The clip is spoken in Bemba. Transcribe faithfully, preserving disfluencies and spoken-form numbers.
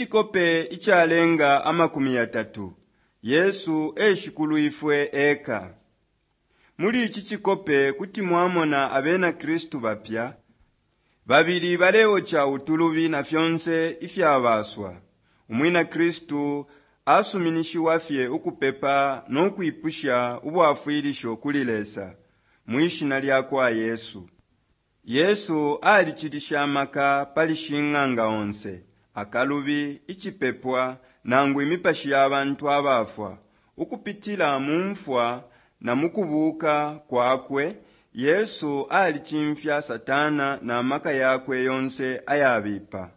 Icikope icalenga amakumi yatatu, Yesu e Shikulwifwe eka. Muli ici cikope kuti mwamona abena Kristu bapya babili baleoca utulubi na fyonse ifyabaswa. Umwina Kristu asuminishiwa fye ukupepa no kwipusha ubwafwilisho kuli Lesa mwishina lya kwa Yesu. Yesu alicilisha amaka pali shing'anga onse, akalubi, icipepwa, nangu imipashi ya bantu abafwa. Ukupitila mu mfwa na mukubuuka kwakwe, Yesu alicimfya Satana na maka yakwe yonse ayabipa.